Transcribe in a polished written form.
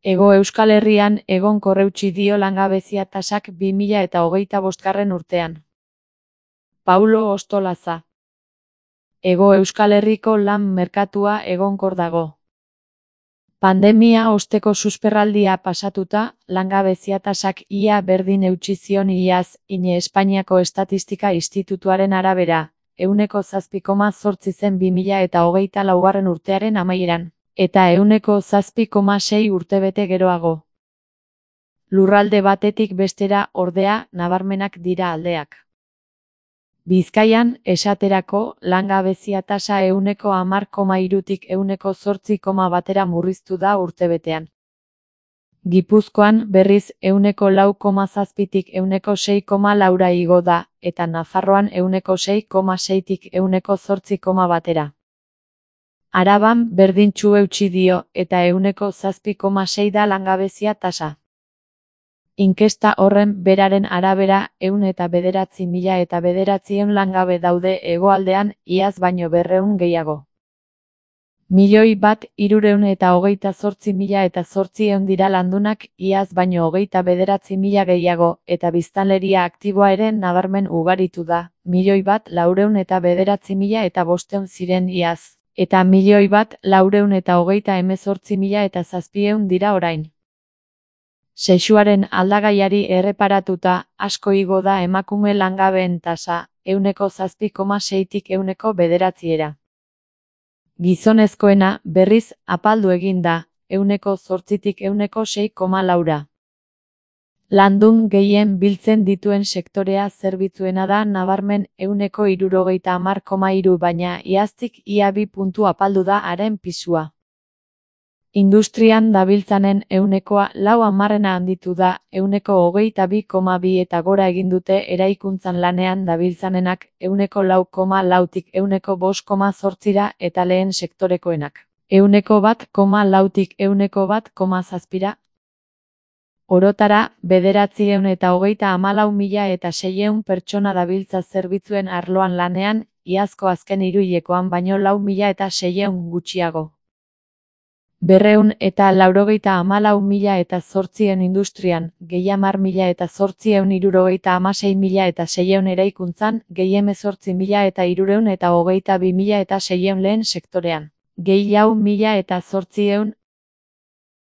Hego Euskal Herrian egonkor eutsi dio langabezia tasak 2025 urtean. Paulo Ostolaza. Hego Euskal Herriko lan merkatua egonkor dago. Pandemia osteko susperraldia pasatuta, langabezia tasak ia berdin eutsi zion iaz, INE Espainiako Estatistika Institutuaren arabera, 7,8 zen 2024 urtearen amaieran, eta 7,6 urtebete geroago. Lurralde batetik bestera, ordea, nabarmenak dira aldeak. Bizkaian, esaterako, langabezia tasa 10,3tik 8,1 murriztu da urtebetean. Gipuzkoan, berriz, 4,7tik 6,4 igo da, eta Nafarroan 6,6tik 8,1. Araban, berdintsu eutsi dio, eta 7,6 da langabezia tasa. Inkesta horren beraren arabera 109.900 langabe daude hegoaldean, iaz baino 200 gehiago. 1.328.800 dira landunak, iaz baino 29.000 gehiago, eta biztanleria aktiboa ere nabarmen ugaritu da, 1.409.500 ziren iaz, eta 1.428.700 dira orain. Sexuaren aldagaiari erreparatuta, asko igo da emakume langabeen tasa, 7,6tik 9. Gizonezkoena, berriz, apaldu egin da, 8tik 6,4. Landun gehien biltzen dituen sektorea zerbitzuena da nabarmen 70,3, baina iaztik ia 2 puntu apaldu da haren pisua. Industrian dabiltzanen 4,4 handitu da, 22,2 eta gora egin dute eraikuntzan lanean dabiltzanenak 4,4tik 5,8 eta lehen sektorekoenak 1,4tik 1,7. Orotara, 934.600 pertsona dabiltza zerbitzuen arloan lanean, iazko azken hiruhilekoan baino 4.600 gutxiago. 294.800 industrian, 10.876.600 eraikuntzan, 18.322.600 lehen sektorean, 1.800